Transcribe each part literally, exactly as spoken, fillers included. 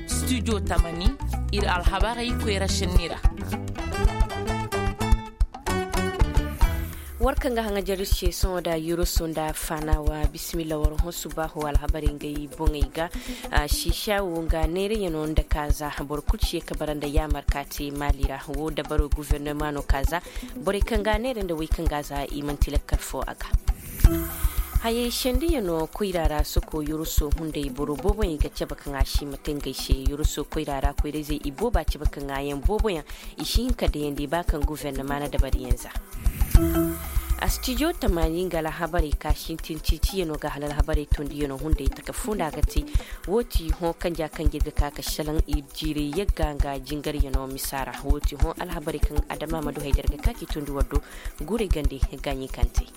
Studio tamani, ir alhabarey koyra šenni ra. War kaŋ ga haŋajar ir se sohõ nda yurusu nda faanawa, bismillah war hõ subaahu alhabarey ngey boŋey ga. Šiiša wo nga neerayaŋo nda kaaza boro kul si ye ka bara nda yaamar ka te maali ra wo dabaro gofornoma no kaaza. Borey kaŋ ga a neera nda wey kaŋ ga a za i man'ti lakkal fo a ga. Hayey sendiyaŋo koyra ra soko yoroso hunday boro booboyaŋ i ga cabe kaŋ a si ma te ngey se yoroso koyra ra koyrayzey i booba cabe kaŋ a yaŋ booboyaŋ i si hin ka dayandi ba kaŋ guvernama na dabariyaŋ za. Astijo tamaani nga alhabarey ka sintin ciiciyaŋo ga hala alhabarey tondiyaŋo hunday taka fo nda a ga te. Wo ti hõ kanja kanje ga ka ka salaŋ ir jiiray yagga nga jingaryaŋo misa ra wo ti hõ alhabarey kaŋ adama ma du hay da ir ga ka k'i tondi war do. Guurey gande gaaɲi kaŋ te.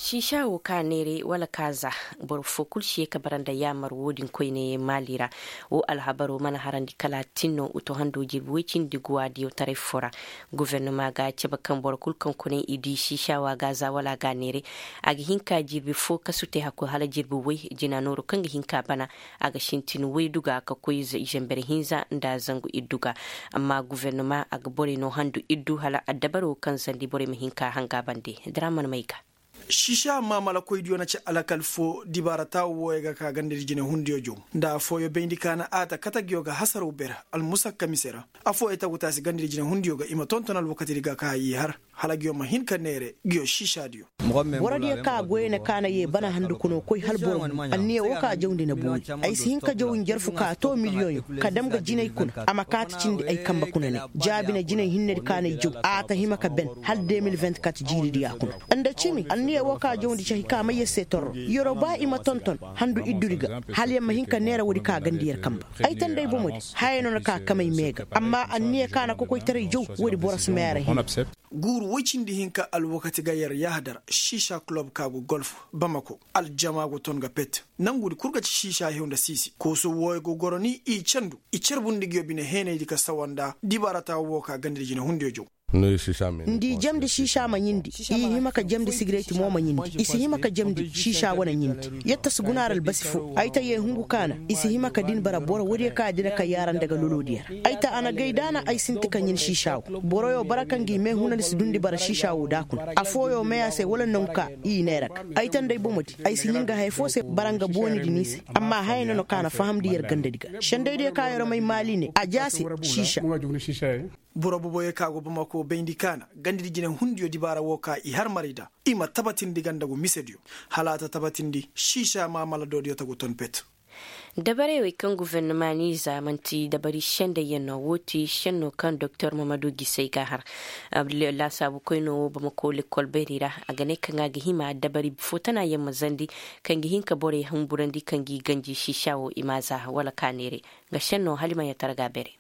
Siisa wo ka neeray wala ka za boro fo kul si ye ka bara nda yaamar wo-din koyne maali ra. Wo alhabaro mana harandi kala a tin no uto hando jirbi woy cindi guwa diyotaray fo ra. Gufernama ga a cabe kaŋ boro kul kaŋ kuna i di siisa wo a ga a za wala a ga a neeray. A ga hin ka jirbi fo kasu te hakku hala jirbi woy jina nooru kaŋ ga hin ka bana. A ga sintin waydu ga ka koy zanber hinza nda zangu iddu ga. Amma gufernama a ga borey no handu iddu hala addabaro kaŋ zandi borey ma hin ka hanga bande. Draman may ga. Sisa maamala koydiyo na ci alakal fo dibaara taawu wooyo ga ka gandadi jinay hundiyo jow. Nda afooyo bayndi ka na a ta katagiyo ga hasaraw ber almusakka mise ra. Afooyo tagu taasi gandadi jinay hundiyo ga i ma tonton alwakatidi ga ka i har hala giyo ma hin ka neere giyo sisadiyo. Borodiyo ka goyey na ka na ye bana handukunoo koy hala boro mo anniya woo ka jawndi na booyi. Ay si hin ka jaw njarfu ka too miliyoŋyo ka dam ga jinay kuna a ma kaati cindi ay kambe kuna ne. Jaabi na jinay hinnedi ka na ay jaw a ta hima ka ben hala de mil vingt-kat jiiridiya kuna. Nda cimi anniya woo ka jawndi cahi ka may yer se torro yeroo ba i ma tonton handu iddudi ga. Hala yer ma hin ka neera woodi ka gandi yer kambe. Ay ta nda ay bomodi haya no na ka kamay mee ga amma anniya ka na kokoytaray jaw woodi boro si may a ra hina. Guuru woy cindi hinka alwakati ga yer yahadar sisa kulob ka go golf bamako aljama go ton ga pet. Nangudi kul ga ci sisa hew nda siisi kooso wooyo go goro ni i candu i carbundi nguyo bine heenaydi ka sawa nda dibaarata woo ka gandadi jinehundiyo jaw. Nda i jamndi sisa ma ɲindi i hima ka jamndi sigireti mo ma ɲindi i si hima ka jamndi sisa wane ɲindi. Yetta si guna ra albasi fo ay ta yee hungu ka na i si hima ka din bara boro woodiyo ka dira ka yaara nda ga lolodiyo ra. Ay ta a na gay da na ay sinti ka ɲin sisa wo boroyo bara kaŋ gi mee huna ni si dundi bara sisa wo da kuna afooyo mee a se wala nangu ka i neera ga. Ay ta nda ay bomodi ay si ɲin ga haya fo se bara nga booni di ni se. Amma haya no na ka na fahamndi yer gandadi ga sendaydiyo ka yer may maali ne a jaase sisa. Boro boboyo ka go bamako bayndi ka na gandadi jinehundiyo dibaara wo ka i har maray da i ma tabatindi ganda go misediyo. Hala a ta tabatindi sisa maamala doodiyo ta go ton pet. Dabarey wey kaŋ gufernama n'i za man'ti dabari sendayyaŋ no woo ti senno kaŋ doktor mamadu gisay ga a har. Laasaabu koynoo woo bamako lekkol bayray ra a ga ne kaŋ a ga hima dabari fo tana yaŋ ma zandi kaŋ ga hin ka borey humburandi kaŋ g'i ganji sisa woo i m'a za wala ka neeray. Nga senno hala i ma yatara ga a beeray.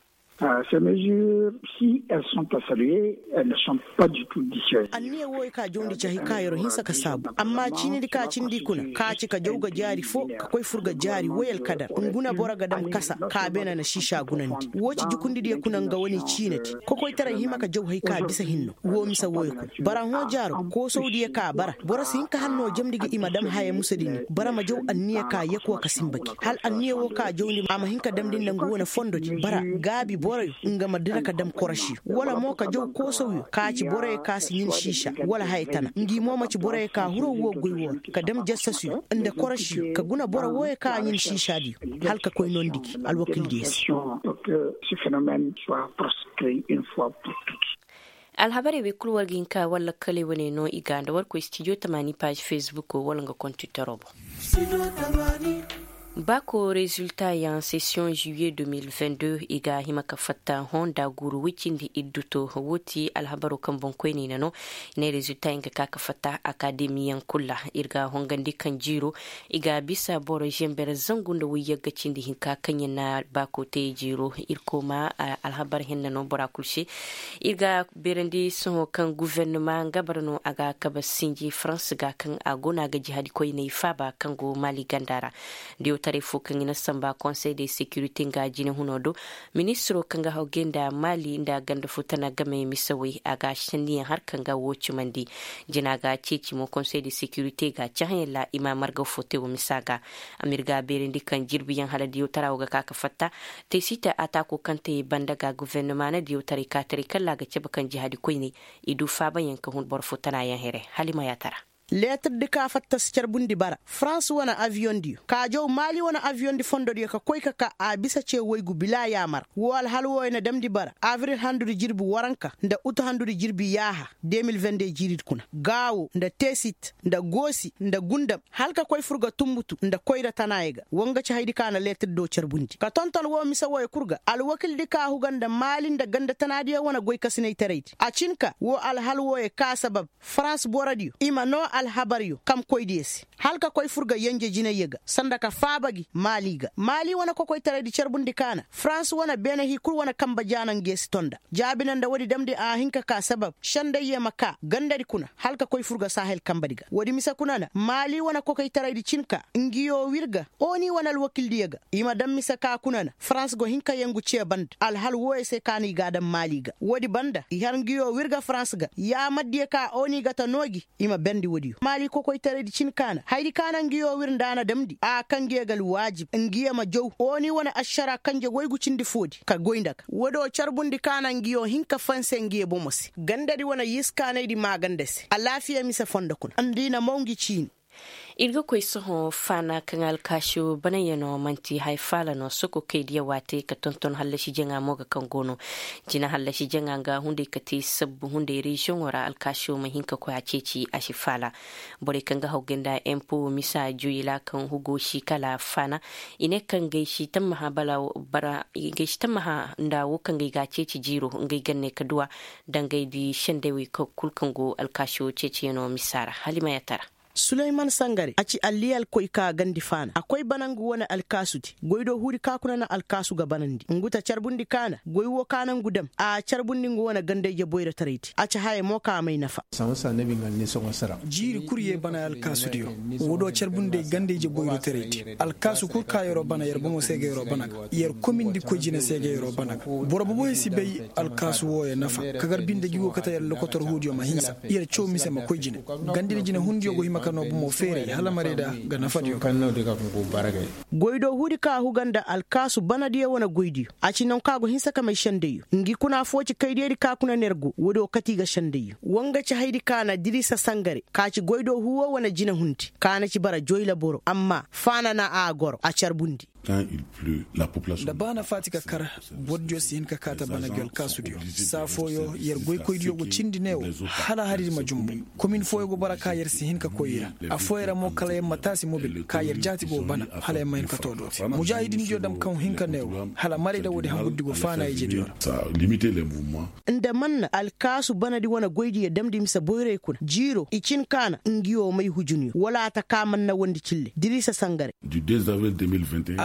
Ces mesures si elles sont à saluer, elles ne sont pas du tout dissuasives. Anniya wooyo ka jawndi cahi ka yer'o hinsa ka saabu amma ciinidi ka cindi kuna ka ci ka jaw ga jaari foo ka koy fur ga jaari woy alkadar. Nguna boro ga dam kasa ka beene na siisa gunandi woo ci jukundidiyo kuna nga wane ciinadi. Kokoytaray hima ka jaw hay ka bisa hinno woo mise wooyo kuna bara hõ jaaro koosawdiyo ka bara boro si hin ka hannoo jamndi ga i ma dam haya musadi ni bara ma jaw anniya ka yekuwa ka sinba gi hala anniya woo ka jawndi a ma hin ka damndi nda nga wane fondodi bara gaabi boroyo nga ma dira ka dam korošiyo wala mo ka jaw koosawyo ka ci boroyo ka si ɲin siisa wala haya tana ngi mo ma ci boroyo ka huro woo goy woo ra ka dam jassasuyo nda korošiyo ka guna boro wooyo ka ɲin siisadiyo hala ka koy noondi gi alwakildiyo se. Alhabarey wey kul war ga hin ka war lakkaley wane no i ga nda war koy stijo tamaani paazi fesbukoo wala nga kontitaro boŋ. Baako reziltayaŋ sesiyoŋ juwiye deux mille vingt-deux i ga hima ka fatta hõ nda guuru woy cindi iddu to woo ti alhabaroo kaŋ boŋkoyney na no. I ne reziltayaŋ ga ka ka fatta akademiyaŋ kul ra ir ga hongandi kaŋ jiiro i ga bisa boro zember zangu nda woy yagga cindi hinka kaŋ yaŋ na baako te jiiro. Irkoy ma alhabar henna no bora kul se. Ir ga beerandi sohõ kaŋ gufernama nga bara no a ga kabe sinji farans ga kaŋ a go no a ga jihadikoyney faaba kaŋ go maali ganda ra. Da yaw Taray fo kaŋ i na samba konsey de sekirite nga jine huno do, ministiro kaŋ ga hawgay nda maali nda ganda fo tana game misawey a ga senniyaŋ har kaŋ ga wo cimandi. Jina ga ceeci mo konsey de sekirite ga cahãyaŋ ra i ma marga fo te wo misa ga. Amirga beerandi kaŋ jirbiyaŋ hala diyo tara wo ga ka ka fatta. Te si te a taako kaŋ te banda ga guvernoma na diyo taray ka taray kalla a ga cabe kaŋ jihaadi koyne i du faabayaŋ ka hun boro fo tana yaŋ here. Hala i ma yaatara. Leetir di ka fatta si carbundi bara farans wane aviyoŋ diyo ka jaw maali wane aviyoŋ di fondo diyo ka koy ka ka a bisa ce waygu bila yaamar. Woo alhal wooyo na damndi bara abril handudi jirbi waranka nda utu handudi jirbi yaaha. De mil vende jiiri di kuna gaawo nda teesit nda goosi nda gundam hala ka koy fur ga tumbutu nda koyra tanaayo ga. Woo nga ci haydi ka na leetir do carbundi ka tonton woo mise wooyo kul ga alwakil di ka huga nda maali nda ganda tanaadiyo wane goykasinaytaraydi a cin ka woo alhal wooyo ka sabab farans borodiyo i ma noo alhabaryo kamkoydiyo se hala ka koy fur ga yenje jinayyo ga sanda ka faaba gi maali ga maali wane kokoytaraydi carbundi ka na farans wane beene hii kul wane kanba jaana nge si tonda. Jaabina nda woodi damndi a hin ka ka sabab sendayyo ma ka gandadi kuna hala ka koy fur ga sahel kanbadi ga woodi mise kuna na maali wane kokoytaraydi cin ka ngiyo wir ga oni wane alwakildiyo ga i ma daŋ mise ka kuna na farans go hin ka yengu cee banda alhal wooyo se ka no i ga a daŋ maali ga woodi banda i har ngiyo wir ga farans ga yaamardiyo ka oni ga ta noo gi. I ma berndi woodiyo maali kokoytaraydi cin ka na hayadi ka na ngiyo wir nda a na damndi a kaŋ ngiyo ga alwaajib ngiyo ma jaw oni wane ašara kanje waygu cindi foodi ka goy nda ga woodiyo carbundi ka na ngiyo hin ka fanse ngiyo bomo se gandadi wane yiskaanaydi maaganda se alaafiya mise fondo kuna nda i na maw ngi ciini. Ir ga koy sohõ faana kaŋ alkaasu banayaŋo man'ti haya faala no soko kaydiyaŋ waate ka tonton hallasi jaŋa mo ga kaŋ go no. Jina hallasi jaŋa nga hunday ka te sabbu hunday reziyoŋo ra alkaasu ma hin ka koy a ceeci a si faala. Borey kaŋ ga hawgay nda empo misa juyi ra kaŋ hugo si kala faana. I ne kaŋ ngey si tammaha nda wo kaŋ ngey ga a ceeci jiiro ngey ganney ka duw'a dangey di sendey wey kul kaŋ go alkaasu ceeciyaŋo misa ra hala i ma yaatara. Suleyman sangare a ci alliyal koy ka gandi faana a koy bana ngu wane alkaasudi goy do huudi ka kuna na alkaasu ga banandi ngu ta carbundi ka na goy woo ka na ngu dam a carbundi ngu wane gandayje boyrotaraydi a ci haya mo ka may nafa. Jiiri kul ye bana alkaasudiyo. Woo do carbundi gandayje boyrotaraydi alkaasu kul ka yer'o bana yer bomo se ga yer'o bana ga yer komindi koy jine se ga yer'o bana ga. Boro boboyo si bay alkaasu wooyo nafa ka gar binde gi go kate yer lokotor huudiyo ma hinsa yer caw mise ma koy jine. Gandidi jine hundiyo go hima ka noo bomo feeray hala marayda ga nafadiyo ga. Goydoo huudi ka huga nda alkaasu banadiyo wane goydiyo a ci nangu ka go hinsa ka may sendayyo ngi kuna foo ci kaydiyadi ka kuna nergo woodiyo kati ga sendayyo woo nga ci haydi ka na dirisa sangare ka ci goydoo huuwo wane jine hundi ka na ci bara joyla boro amma faana na a goro a carbundi. Da ba na faati ka kar bordiyo si hin ka kaa ta bana gi alkaasudiyo saa fooyo yer goykoydiyo go cindi ne wo hala haridi ma jumbu. Komin fooyo go bara ka yer si hin ka koy i ra. Affooyo ra mo kala yer ma taasi mobil ka yer jaati go bana hala yer ma hin ka too dooti mujaahidindiyo dam kaŋ hin ka ne wo hala marayda woodi hangurdi go faana ijediyo ra. Nda man na alkaasu banadi wane goydiyo damndi mise boyray kuna jiiro i cin kaana ngi woo may hujunyo wala a ta kaa man na wondi cille diriisa sangare.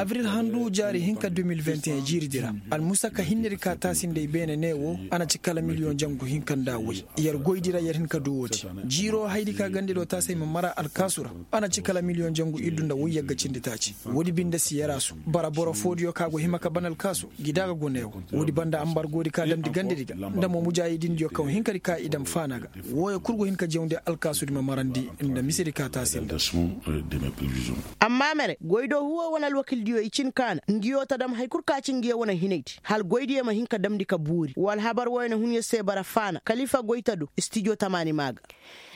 Abril handu jaari hinka de mil vingt et un jiiridi ra almusaka hinnedi ka taasi nda i beene ne woo a na ci kala miliyoŋ jangu hinka nda woy. Yer goydi ra yer hin ka du woodi jiiro haydi ka gande do taasi ay ma mara alkaasu ra. A na ci kala miliyoŋ jangu iddu nda woy yagga cindi taaci. Woodi binde si yaraasu bara boro foodiyo ka go hima ka ban alkaasu gi da ga go ne woo. Woodi banda ambargoodi ka damndi gandedi ga nda mo mujaahidindiyo kaŋ hinkadi ka i dam faana ga. Wooyo kul go hin ka jawndi alkaasudi ma marandi nda misedi ka taasi nda. Amma mere goydoo huwo wane alwakildiyo i cin kaana ngiyo ta dam hay kul ka ci ngiyo wane hinaydi hala goydiyo ma hin ka damndi ka boori woo alhabar wooyo na hun yer se bara faana kalifa goyta do istijo tamaani maa ga.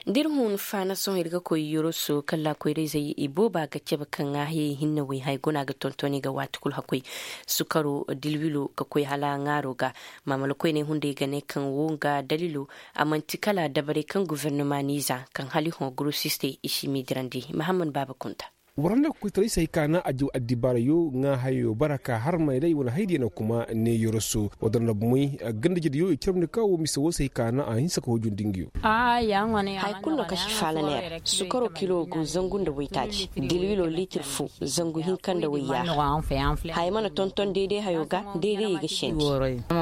Da ir hun faana sohõ ir ga koy yoroso kala koyrayzey ibooba ga cabe ka ŋaahiyey hinne wey haya guna ga tonton i ga waati kul hakkoy. Sukaro dilwilo ka koy hala ŋaaro ga. Maamala koyney hunday ga ne kaŋ woo nga dalilo a man'ti kala dabarey kaŋ gofornoma n'i za kaŋ hala i hõ gorosistey i si m'i dirandi mahammad baaba kunta. War handa ga koy taray se hay ka naŋ a jaw addibaarayo ŋaa hayo bara ka har mayray wane haydiyo na kuma ne yoroso. War danda bomey ganda jediyo i carmandi ka woo mise woo se hay ka naŋ a hinsa ka hoojundi nga yo. Haya kulu no kaŋ si faala neera sukaro kilo go zangu nda waytaaci dilwilo liitir foo zangu hinka nda wayyaaha. Haya mana tonton deede hayo ga deede i ga sendi.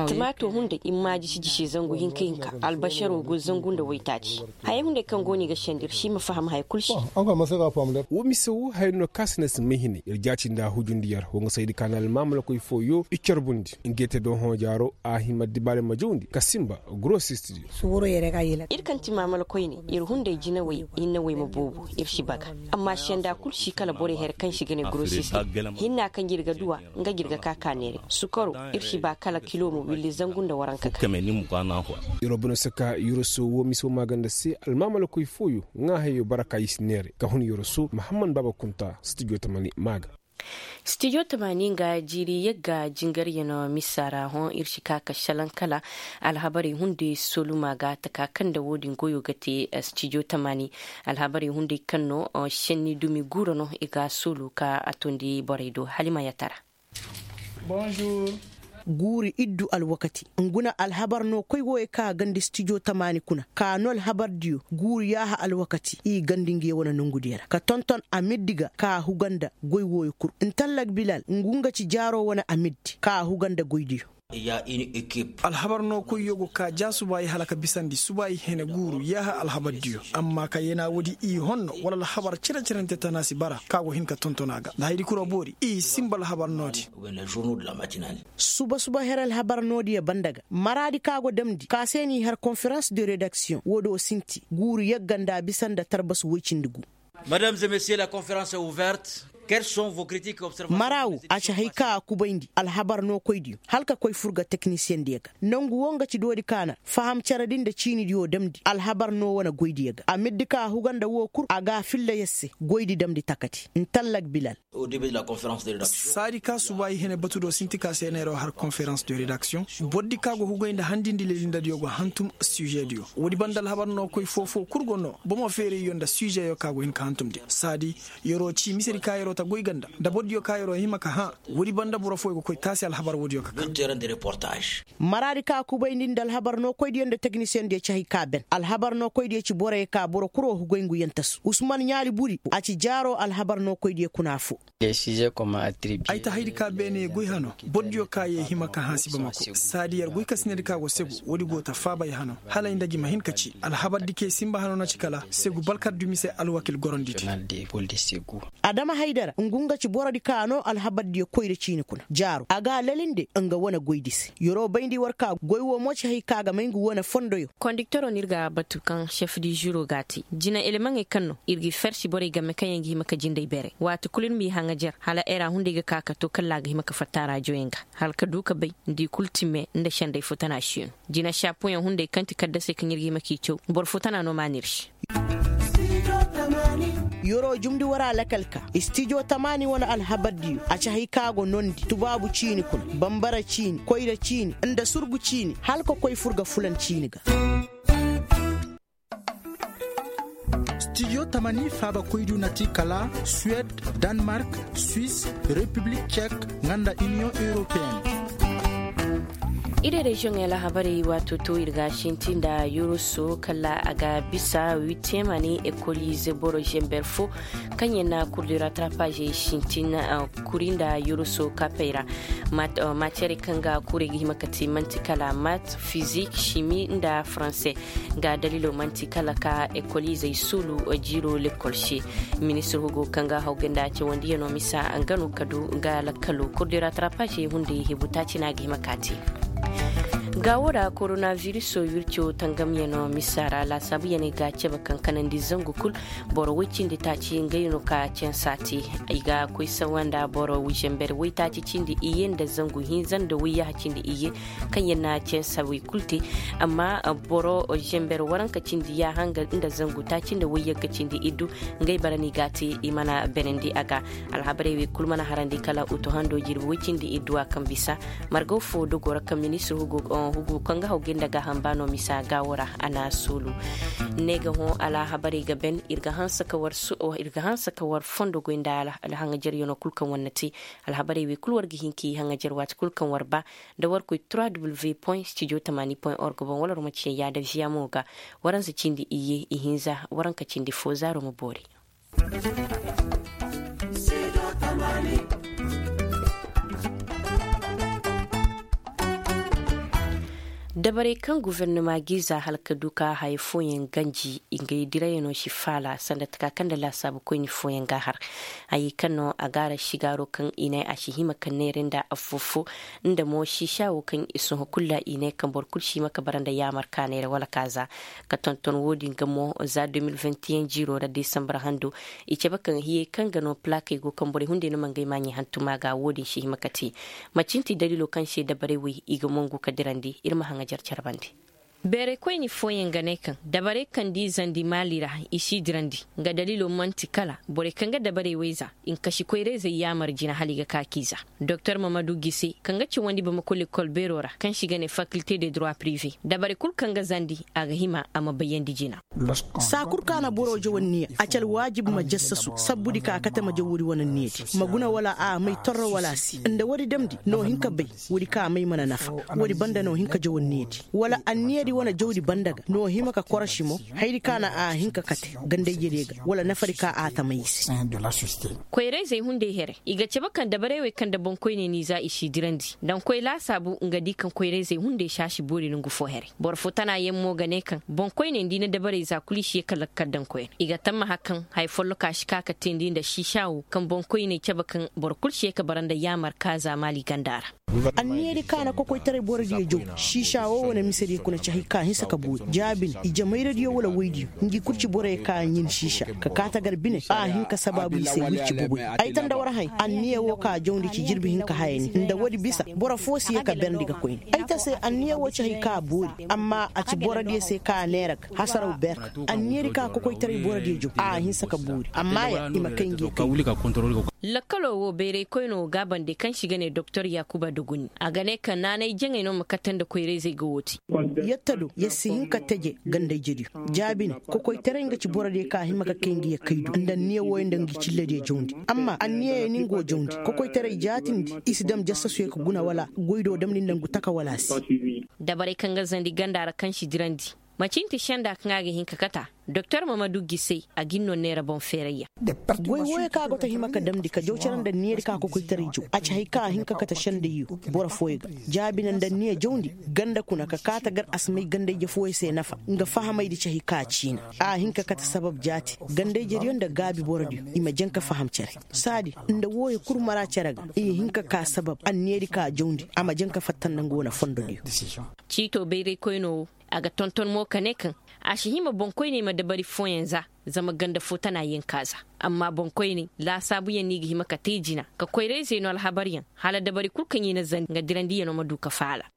Timaato hunday i mma jisi jisi zangu hinka hinka albasaro go zangu nda waytaaci. Haya hunday kaŋ go no i ga sendi ir si ma faham haya kul se. Woo mise woo. ir no kaasina si may hinay ir jaati nda hujundiyer wo nga saydi ka na almaamalakoy fooyo i carbundi. Ngey te do hõ jaaro a hima dibaale ma jawndi ka sinba. Gurosist diyo. Ir kaŋ ti maamalakoyne ir hunday jinawey hinnawey ma boobo ir si baga. Amma senda kul si kala borey hare kaŋ si ga ne gurosist diyo. Hinna kaŋ ir ga duwa nga ir ga ka ka neere sukaro. Ir si ba kala kilo ma willi zangu nda waranka ga. Yeroo bino se ka yeroso woo mise woo maaganda se almaamalakoy fooyo ŋaa hayo bara ka i si neere ka hun yeroso mahamman baaba kunta stijo tamani maaga. Stijo tamani nga jiiri yagga jingaryanoo misa ra hõ ir si ka ka šalaŋ kala alhabarey hunday soluma ga taka kaŋ nda woo din goyo ga te. Stijo tamani alhabarey hunday kaŋ no šenni dumi guura no i ga a soolu ka a toondi borey do halima yatara. Guuri iddu alwakati ngu na alhabar no koy wooyo ka gandi stijo tamaani kuna ka no alhabar diyo guuri yaaha alwakati i gandi ngi wane nongu diyo ra ka tonton amiddi ga ka huga nda goy wooyo kul ntallak bilal ngu nga ci jaaro wane amiddi ka huga nda goy diyo. Alhabar no koyyo go ka ja suba i hala ka bisandi suba i hene guuru yaaha alhabar diyo amma ka yena woodi i honno wala alhabar cire-cirante tana si bara ka go hin ka tonton a ga nda hayadi kul a boori i sinba alhabar no di. Suba suba her alhabar no diyo banda ga maraadi ka go damndi ka se n'i har konferans de redaksiyoŋ woo do sinti guuru yagga nda bisa nda tarbasu woy cindi gu. Madame et monsieur la conférence est ouverte. Quels sont vos critiques observations? Mara woo a ci hay ka a kubayndi alhabar no koydiyo hala ka koy fur ga teknisiyeŋ diyo ga nongu woo nga ci doodi ka na faham cere di nda ciini diyo damndi alhabar no wane goydiyo ga a middi ka a huga nda woo kul a ga a filla yer se goydi damndi takati ntallak bilal. Saadi ka suba i hene batu do sinti ka se neeroo har konferans de redaksiyoŋ. Bordi ka go hugay nda handindi lelindadiyo go hantum sižediyo woodi banda alhabar no koy foo-foo kul go no bomo feerayyo nda sižeyo ka go hin ka hantumndi saadi yeroo ci misedi ka yeroo ta goy ga nda nda bordiyo ka yeroo hima ka hã. Woodi banda boro fooyo go koy taasi alhabar woodiyo ka ka. Maraadi ka kubayndi nda alhabar no koydiyo nda teknisiyeŋ diyo ci hay ka ben alhabar no koydiyo ci boroyo ka boro kul wo hugay ngu yaŋ tasu usman ɲaali buri a ci jaaroo alhabar no koydiyo kuna foo. Ay ta haydi ka beene goy hano bordiyo ka ye hima ka hã si bamako saadi yer goy ka sinadi ka go segu woodi go ta faabay hano hala ay nda gi ma hin ka ci alhabar di kay sinba hano na ci kala segu balkar dumi se alwakil gorondidi. Adama haydara ngu nga ci borodi ka no alhabardiyo koyra ciini kuna jaaro a ga a lalinde nga wane goydi se yeroo bayndi war ka goy woo mo ci hay ka ga may ngu wane fondoyo. Kondiktoro no ir ga batu kaŋ šef di žiro ga a te jina elemaŋey kaŋ no ir ga i fersi borey game kaŋ yaŋ ga hima ka jinday beerey waati kulu ir m'i haŋajer hala era hunday ga ka ka to kalla a ga hima ka fatta raajoyaŋ ga hala ka du ka bay nda i kulu ti me nda senday futana siino. Jina šapoyaŋ hunday kaŋ ti kaddasey kaŋ ir ga hima k'i caw boro futana no maan'ir se. Yeroo jumndi war a lakal ka istijo tamaani wane alhabardiyo a ci hay ka go nondi tubaabu ciini kuna bambara ciini koyra ciini nda surgu ciini hala ka koy fur ga fulan ciini ga. Stijo tamani faabakoydiyo na ti kala suwed, danmark, swis, repiblik cek, nga nda iniyoŋ europeen. Iri reziyoŋey alhabarey waato to ir ga a sinti nda yuruso kala a ga bisa witiyemani ekolize boro zember fo kaŋ yaŋ na kurdira tarapazey sintin kuri nda yuruso kaapey ra. Matiyarey kaŋ ga kuri ga hima ka ti manti kala mat, fizik, simi nda faranse. Ga dalilo manti kala ka ekolizey suulu jiiro lekol se. Ministir hugo kaŋ ga hawgay nda cawandiyano misa nga no ka du nga lakkalo kurdira tarapazey hunday hebu taaci no a ga hima ka te. Ga wo ra koronaviriso wirco tangamyano misa ra laasaabuyaney ga cabe kaŋ kanandi zangu kul. Boro woy cindi taaci ngey no ka cansa te. I ga koy sawa nda boro zember woy taaci cindi iyye nda zangu hinza nda woy yaha cindi iyye. Kaŋ yaŋ na cansa woy kul te. Amma boro zember waranka cindi yaaha nga nda zangu taaci nda woy yagga cindi iddu. Ngey bara no i ga a te i mana benandi a ga. Alhabarey wey kul mana harandi kala utu hando jirbi woy cindi iddu a kaŋ bisa. Margaw fo dogo ra kaŋ ministir hugu kaŋ ga haw ga nda gaaham ba no misa gaawo ra a na a soolu. Ne ga hõ alhabarey ga ben ir ga hanse ka war fondo goy nda alhaŋajaryanoo kul kaŋ war na te. Alhabarey wey kul war ga hin k'i haŋajar waati kul kaŋ war ba. Nda war koy trois w point studio tamani point org boŋ wala war ma ciyaŋ yaada viya mo ga. Waransa cindi iyye ihinza waranka cindi fo zaaro ma boori. Dabarey kaŋ gofornama g'i za hala ka du ka haya fooyaŋ ganji, ngey dirayano si faala sanda taka kaŋ nda laasaabu koyni fooyaŋ ga a har. Hayey kaŋ no a ga a ra sigaaro kaŋ i ne a si hima ka neera nda affoo-foo, nda mo siisaawo kaŋ i sohõ kulu ra i ne kaŋ boro kulu si hima ka bara nda yaamar ka neera wala ka za. Ka tonton wo-din ga mo za deux mille vingt et un jiiro ra desambar hando, i cabe kaŋ hiyey kaŋ ga no palaakey go kaŋ borey hunday no ma ngey maaɲey hantum a ga wo-din si hima ka te. Macinti daliilo kaŋ se dabarey wey i ga mongu ka dirandi ir ma haŋajar care bande. Beerey koyni fooyaŋ ga ne kaŋ dabarey kaŋ d'i zandi maali ra, i s'i dirandi. Nga daliilo man'ti kala borey kaŋ ga dabarey wey za, i ma kasi koyra-izey yaamar jina hala i ga ka k'i za. Doktor mamadu gise, kaŋ ga cawandi bamako lekol beero ra kaŋ se i ga ne fakilte de droit prive, dabari kulu kaŋ ga zandi, a ga hima a ma bayandi jina. Saa kulu ka na boro jaw anniya, a ci alwaajib ma jassasu sabbudi ka kate ma jaw woodi wane anniyadi, ma guna wala a may torro wala a si. Nda woodi damndi n'o hin ka bay, woodi ka may mana nafa. Woodi banda n'o hin ka jaw anniyadi, wala anniyadi wane jawdi banda ga n'o hima ka korosi mo. Hayadi ka na a hin ka kate gandayjediyo ga, wala nafadi ka a tamay i se. Koyra-izey hunday here, i ga cabe kaŋ dabarey wey kaŋ nda boŋkoyney n'i za i s'i dirandi, daŋ koy laasaabu nga di kaŋ koyra-izey hunday si a si boori nongu fo here. Boro fo tana yaŋ mo ga ne kaŋ boŋkoyney nda i na dabarey za kulu i si ye ka lakkal daŋ koyra, i ga tammaha kaŋ haya folloka si ka ka teendi nda siisaawo kaŋ boŋkoyney cabe kaŋ boro kulu si ye ka bara nda yaamar ka za maali ganda ra. Anniyadi ka na kokoytaray borodiyo jaw, siisaawo wane misediyo kuna ci hay ka hinsa ka boori jaabin i jamayradiyo wala woydiyo. Ngi kulu ci boroyo ka ɲin siisa ka kaatagar bine a hin ka sabaabu i se wirci boboy. Ay ta nda war hay anniya wo ka jawndi ci jirbi hinka haya ni nda woodi bisa, boro foo si ye ka berndi ga koyne. Ay ta se anniya wo ci hay ka boori, amma a ci borodiyo se ka neera ga hasaraw ber. Anniyadi ka kokoytaray borodiyo jaw a hinsa ka boori amma ya i ma kay ngi kay. Lakkaloo wo bayray koynoo gaabandey kaŋ se i ga ne doktor yaakuba dogoni, a ga ne kaŋ naanay jaŋey no ma katte nda koyra-izey ga wo te. Yette do yer si hin ka teje ganda-ijediyo. Jaabi ne, kokoytaray nga ci borodiyo kaŋ a hima ka kay ngi ya kay do nda anniya wooyo nda ngi cillediyo jawndi. Amma anniya ya ni nga wo jawndi, kokoytaray jaatindi i si dam jassasuyo ka guna wala goy do damndi nda ngu taka wala a si. Dabarey kaŋ ga zandi ganda ra kaŋ si dirandi, macin ti senda kaŋ a ga hin ka kata. Doktor mamadu gisey, a ga ni no neera boŋ feerayyaŋ. Goy wooyo kaŋ a go ta hima ka damndi ka jaw care nda niyadi ka kokoytaray jaw a ci hari kaŋ a hin ka kate sendayyo. Boro fooyo ga jaabi naŋ nda niya jawndi ganda kuna ka kaata gar a si may ganda-ije fooyo se nafa. Nga fahamaydi ci hari kaŋ a ciina a hin ka kate sabab jaati. Ganda-ijediyo nda gaabi borodiyo i ma jaŋ ka faham care. Saadi nda wooyo kul mara care ga i hin ka ka sabab anniyadi ka jawndi a ma jaŋ ka fatta nda nga wane fondodiyo. Ciito bayraykoynoo wo, a ga tonton mo ka ne kaŋ a si hima boŋkoyney ma dabari fooyaŋ za. Zama ganda fo tana yaŋ ka za. Amma boŋkoyney laasaabuyaŋ no i ga hima ka te jina ka koyra-izey no alhabaryaŋ, hala dabari kul kaŋ i na zandi nga dirandiyanoo ma du ka faala.